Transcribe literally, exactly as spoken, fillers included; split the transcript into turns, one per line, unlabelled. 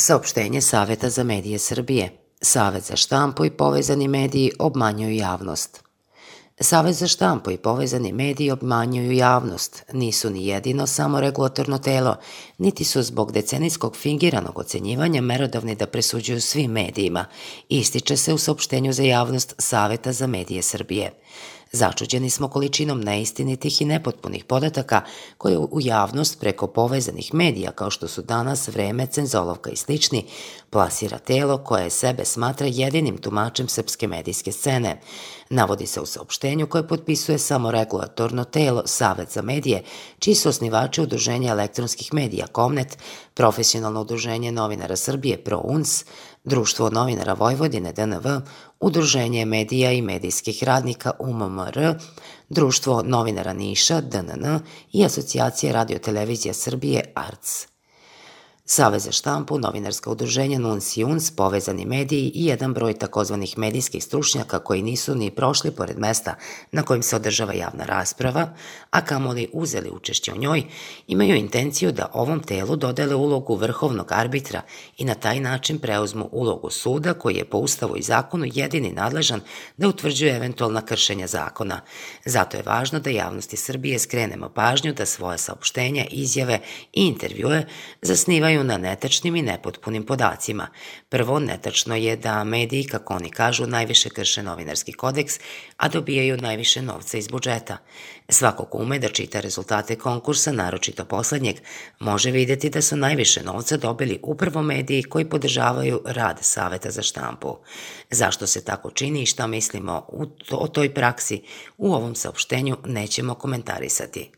Saopštenje Saveta za medije Srbije. Savet za štampu i povezani mediji obmanjuju javnost. Savet za štampu i povezani mediji obmanjuju javnost. Nisu ni jedino samo regulatorno telo, niti su zbog decenijskog fingiranog ocenjivanja merodavni da presuđuju svim medijima, ističe se u saopštenju za javnost Saveta za medije Srbije. Začuđeni smo količinom neistinitih i nepotpunih podataka koje u javnost preko povezanih medija, kao što su Danas, Vreme, Cenzolovka i slični, plasira telo koje sebe smatra jedinim tumačem srpske medijske scene. Navodi se u saopštenju koje potpisuje samo regulatorno telo Savet za medije, čiji su osnivači Udruženja elektronskih medija Komnet, Profesionalno udruženje novinara Srbije ProUNS, Društvo novinara Vojvodine D N V, Udruženje medija i medijskih radnika U M M R, Društvo novinara Niša D N N i Asocijacija radiotelevizija Srbije A R C. Savet za štampu, novinarska udruženja NUNS i UNS, povezani mediji i jedan broj takozvanih medijskih stručnjaka koji nisu ni prošli pored mesta na kojim se održava javna rasprava, a kamoli uzeli učešće u njoj, imaju intenciju da ovom telu dodele ulogu vrhovnog arbitra i na taj način preuzmu ulogu suda koji je po Ustavu i zakonu jedini nadležan da utvrđuje eventualna kršenja zakona. Zato je važno da javnosti Srbije skrenemo pažnju da svoje saopštenja, izjave i intervjue zasnivaju na netačnim i nepotpunim podacima. Prvo, netačno je da mediji, kako oni kažu, najviše krše novinarski kodeks, a dobijaju najviše novca iz budžeta. Svako ko ume da čita rezultate konkursa, naročito poslednjeg, može videti da su najviše novca dobili upravo mediji koji podržavaju rad Saveta za štampu. Zašto se tako čini i šta mislimo o toj praksi, u ovom saopštenju nećemo komentarisati.